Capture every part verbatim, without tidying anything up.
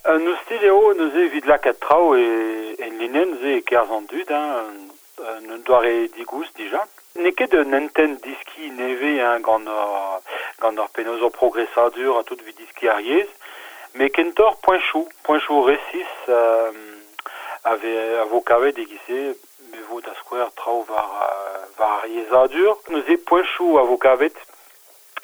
Un oustil eo neuze evit lakaat traoù e, en linenn neuze e kerzh an dud, hein, un, un doare digoust dija. N'eo ket un hentenn diski nevez hein, gant ur, gant ur penaos ur progresadur a tout evit diski ar yezh, met kentoc'h poenchoù, poenchoù resis euh, a, ve, a vo kavet e-giz-se, me vo da skouer traoù war, war ar yezhadur. Neuze poenchoù a vo kavet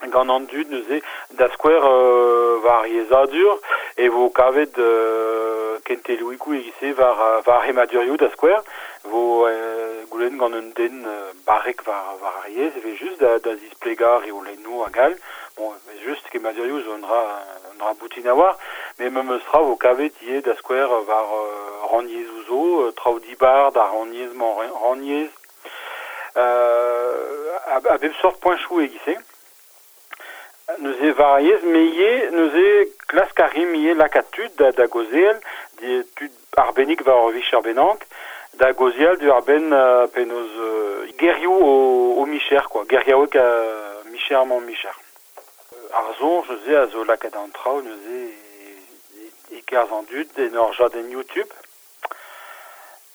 gant an dud neuze da skouer euh, war ar yezhadur e vo kavet euh, kentelioùigoù e-giz-se war, war ar c'hemmadurioù da skouer vo euh, goulenn gant un den euh, barrek war, war ar yezh e vez just da, da zisplegañ reolennoù hag all. Bon, just kemmadurioù zo un dra, un dra boutin a war, met memes tra vo kavet ivez da skouer war euh, rannyezhoù zo, euh, traoù dibar da rannyezh-mañ rannyezh. Euh, a, a bep sort poenchoù e-giz-se. Neuze war ar yezh, met ivez neuze klask a rimp ivez lakaat tud da, da gaozeal, di, tud arbennik war ur vicher bennak, da gaozeal diwar-benn euh, penaos euh, gerioù o, o micher, quoi, geriaoueg uh, micher-mañ micher. Ar soñj neuze a zo lakaat an traoù neuze e, e kerzh an dud en ur jadenn YouTube.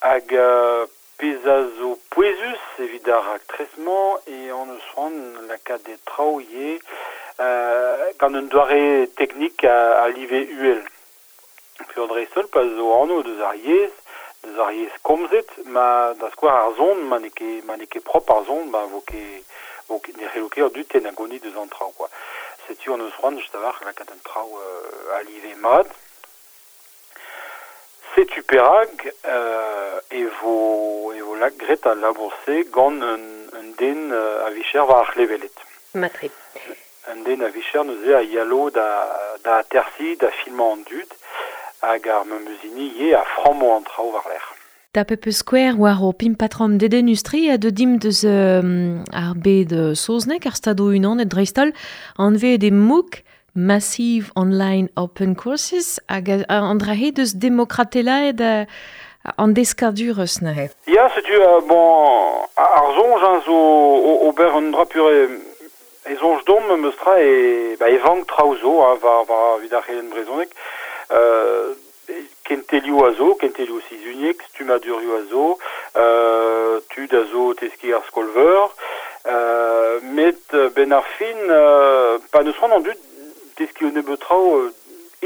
Hag euh, pezh a zo pouezus evit ar raktres-mañ e hon eus c'hoant lakaat e traoù ivez euh, gant un doare teknik a, a live uhel. Peogwir dreist-holl pa zo anv deus ar yezh, deus ar yezh komzet, ma da skouer ar son, ma n'eo ket, ma n'eo ket propr ar son, ba vo ket, vo ket, ne c'hello ket an dud tennañ gounid deus an traoù, quoi. Setu hon eus c'hoant just a-walc'h lakaat an traoù euh, a live mat. Setu perak euh, e vo, e vo lak graet al labour-se gant un, un den euh, a vicher war ar c'hleveled. Matre. Un den a vicher neuze a yalo da, da atersi, da filmañ an dud, hag ar memes hini ivez a frammo an traoù war-lerc'h. Tapet peus skouer war o pimpatrom dedennus-tre a deu dimp deus euh, ar bed saoznek ar Stadoù Unanet dreist-holl anvet e MOOC, Massive Online Open Courses, hag an dra-se deus demokratelaet euh, an deskadurezh neuze. Ya, setu, euh, bon, ar soñj hein, zo ober un dra pure e soñj domp memes tra e, ba, e vank traoù zo hein, war, war evit ar c'helenn brezhoneg. Euh, kentelioù a zo, kentelioù sizhuniek, stummadurioù a zo, euh, tud a zo teskiñ ar skol-veur, euh, met ben ar fin, euh, pa neus c'hoant an dud teskiñ un nebeud traoù euh,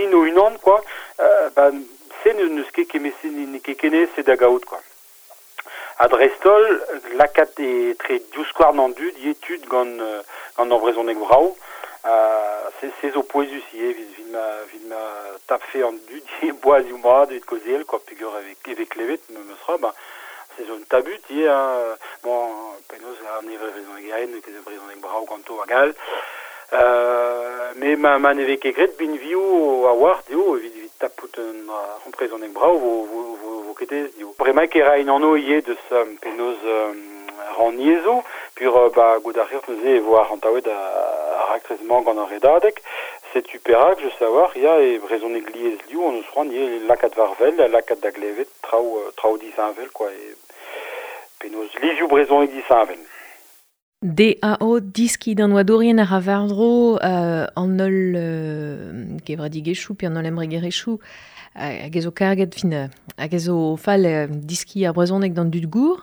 int o-unan, quoi, euh, ba, se n'eus ket kement-se n'eo ket ken aes da gaout, quoi. Ha dreist-holl, lakaat etre divskouarn an dud, ivez tud gant, euh, gant ur brezhoneg brav, euh, se, se zo pouezus ivez evit, evit ma, evit ma tapfe an dud ivez boazioù mat evit kaozeal, quoi, peogwir e vez, e vez klevet memes tra, ba, se zo un tabut ivez, hein, bon, penaos an nevez brezhonegerien, n'eo ket brezhoneg brav ganto hag all. Euh, met ma, ma ne vez ket graet binvioù a-walc'h dezho evit, evit tapout un uh, brezhoneg brav vo, vo, vo, vo ket aes dezho. Bremaik e raint anv ivez deus euh, penaos euh, rannyezhoù, pur euh, ba goût ar rir neuze e vo arc'hantaouet ar raktres-mañ gant ar Redadeg. Setu perak, just a-walc'h, ya e brezhoneg liesliv hon eus c'hoant ivez lakaat war-wel, lakaat da glevet traoù, traoù disheñvel, quoi, e penaos livioù brezhoneg disheñvel. D A O diski d'an oadourien ar a war-dro euh, an holl euh, kevredigezhioù pe an holl embregerezhioù hag ez o karget fin hag ez o fall euh, diski ar brezhoneg d'an dud gour.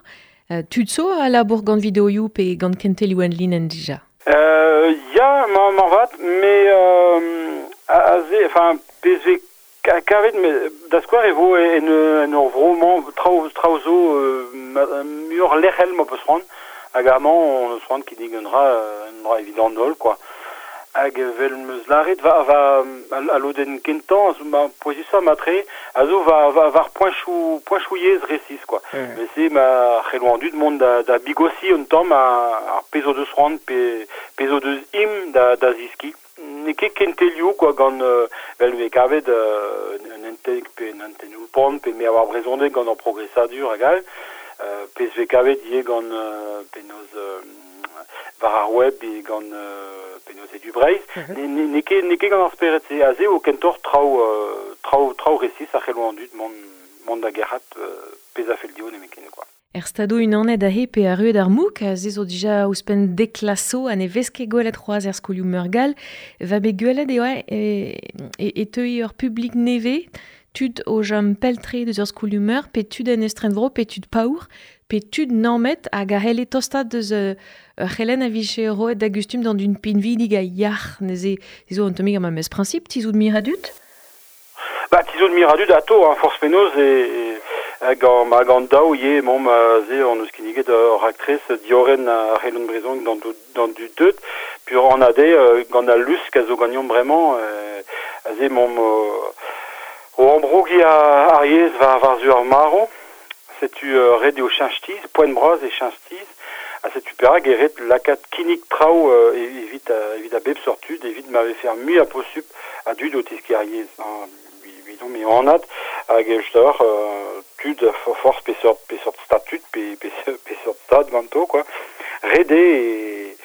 Euh, tud zo a labour gant videoioù pe gant kentelioù en linenn dija? Euh, ya, ma, marvat, mais euh, aze, enfin, pezh vez kavet, met da skouer e vo en, en ur vro-mañ traoù, traoù zo euh, muioc'h lec'hel ma peus c'hoant. Hag amañ on eus c'hoant kinnig un dra, un dra evit an holl, quoi. Hag evel 'm eus lâret, va, va, al lodenn kentañ, a zo ma pouezusañ matre, a zo va, va, war poenchoù, poenchoù yezh resis, quoi. Mm. Met se ma c'hello an dud mont da, da bigosiñ un tamm ar pezh o deus c'hoant, pe, pezh o deus im da, da ziskiñ. N'eo ket kentelioù, quoi, gant euh, vel vez kavet euh, un hentenn pe un hentenn oulpan, pe me a war brezhoneg gant ur progresadur hag all. Euh, pezh vez kavet ivez gant euh, penaos euh, war ar web e gant euh, penaos Edu Breizh. Mm-hmm. N'eo ket, n'eo ket gant ar spered-se. Aze eo kentoc'h traoù, euh, traoù, traoù resis a c'hello an dud mont, mont da gerc'hat euh, pezh a fell dezho nemetken, quoi. Er stado unanet ahe pe ar rued ar mouk, a ze zo dija ouzhpenn deklaso ha ne vez ket gwelet c'hoazh er skolioù meurgal, va bet gwelet eo e, e, e teui ur publik neve, tud o jam peltre deus ur skolioù meur, pe tud en estrenvro, pe tud paour, pe tud nammet hag a c'helle tostat deus ur c'helen a vije roet da gustum d'an d'un pinvidig a yac'h, neuze zo an tammig ar memes principe, tizout miradut? Ba, tizout miradut ato, hein, force penoz e... e... Gant, ma gant daou ye mom ze on eus kinniget ur raktres dioren ar c'helenn brezhoneg d'an d'an du deut pur an ade gant al lusk a zo gagnon bremañ a ze mom o ambrougi a ar yezh war war zu ar maro setu ret eo cheñchtiz poent bras e cheñchtiz a setu perak e ret lakaat kinnig traoù evit evit a bep sort tud evit ma vefe ar muiañ posupl a dud o teskiñ ar yezh hein, mais anat hag just euh, tud force pe sort pe sort statut pe pe pe sort stad ganto quoi rede e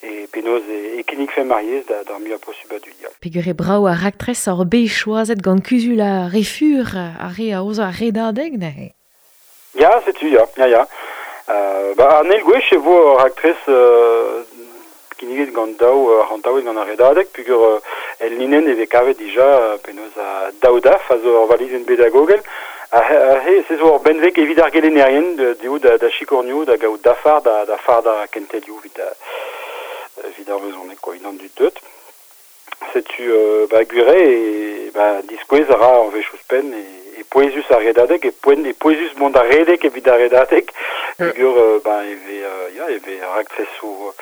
e penoz e, e kinnig fe mariez da d'ar muiañ posupl a dud ya. Peogwir brao ar raktres ar bet choazet gant kuzul a refur ar re a ozo ar redadeg neuze. Ya, setu ya, ya ya. Euh, ba an eil gwech e vo ar raktres euh, kinniget gant daou uh, rantaouet gant ar redadeg peogwir uh, el linenn e vez kavet dija uh, penaos a daou daf a zo ur valizenn pedagogel a he se zo ur benveg evit ar gelennerien dezho da, da chikornioù da gaout dafar da, da far da kentelioù evit evit ar brezhoneg quoi unan du deut setu euh, ba gwire e ba diskouez a ra ar wech ouzhpenn e, e pouezus ar redadeg e poent e pouezus mont ar redeg evit ar redadeg peogwir euh, ba e vez euh, ya e vez raktresoù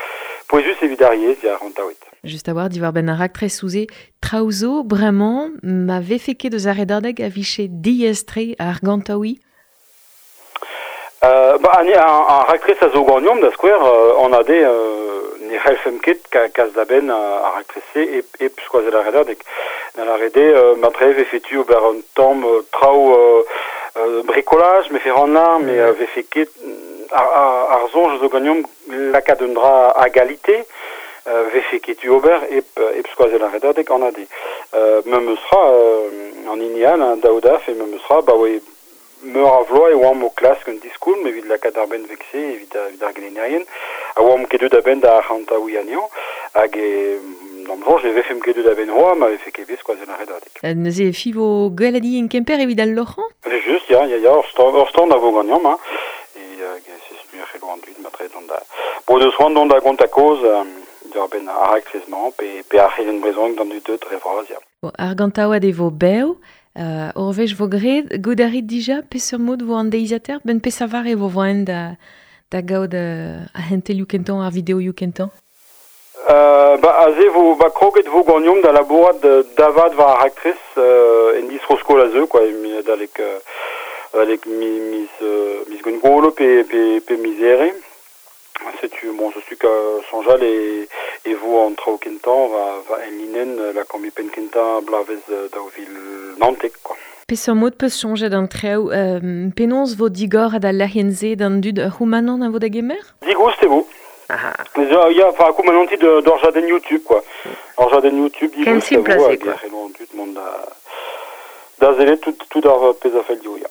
pouezus evit ar yezh ya rantaouet. Just a war diwar ben ar raktres ouze traoù bremañ ma vefe ket deus ar redadeg a vije diaes-tre ar gantaoui? Euh, ba, an, an, an raktres a zo gagnomp da skouer euh, an ade euh, ne c'hellfemp ket ka, kas da benn ar raktres-se e, e skoazell ar redadeg. Da la rede euh, ma tre vefe tu ober un tamm euh, traoù euh, euh, bricolage, me fe rannar, me euh, vefe ket ar, ar, ar soñj zo gagnomp lakaat un dra a galite euh, vefe ket tu ober ep, ep skoazell ar redadeg an ade. Euh, me meus ra euh, an hini all, hein, daou daf, e me meus ra, ba oe meur a vloaz e oamp o klask un diskoulm evit lakaat ar benn vekse evit, evit ar gelennerien a oamp ket deut a-benn da arc'hantaouiñ anezhañ hag e d'am soñj e vefemp ket deut a-benn c'hoazh ma vefe ket bet skoazell ar redadeg. Euh, neuze e fivo gweledi en Kemper evit al loc'hañ? Just, ya, ya, ya, ur stand, ur stand a vo ganeomp, hein. E euh, se muioc'h c'hello an dud, matre dont da... Bo deus c'hoant dont da gont a kaoz euh, diwar benn ar raktres-mañ pe, pe ar c'helenn brezhoneg d'an dud deut dre vras, ya. Bon, ar gantaouad e vo bev, euh, ur wech vo graet, goût a rit dija, peseurt mod vo an deiziataer, ben pesavar e vo voen da, da gaout euh, a hentelioù kentañ, ar videoioù kentañ? Euh, ba, aze vo, ba, kroget vo gagnomp da labourat davad war ar raktres euh, en distro-skol a zeu, quoi, mi, dalek, euh, dalek mi, miz, euh, miz gwengolo pe, pe, pe miz here. Setu, bon, setu ka soñjal e, e vo an traoù kentañ va, va en linenn la kambi penn kentañ blavez daou vil naontek, quoi. Peseurt mod peus soñjet an traoù, euh, penaos vo digor da lec'hienn-se d'an dud c'houmanant a vo da gemer? Digoust e vo. Ah. Ya, enfin, koumananti d'ur jadenn YouTube, quoi. Ur jadenn YouTube, Ken digoust e simpl vo, a se, hag quoi. e c'hello an dud mont da, da sellet tout, tout ar pezh a fell dezho, ya.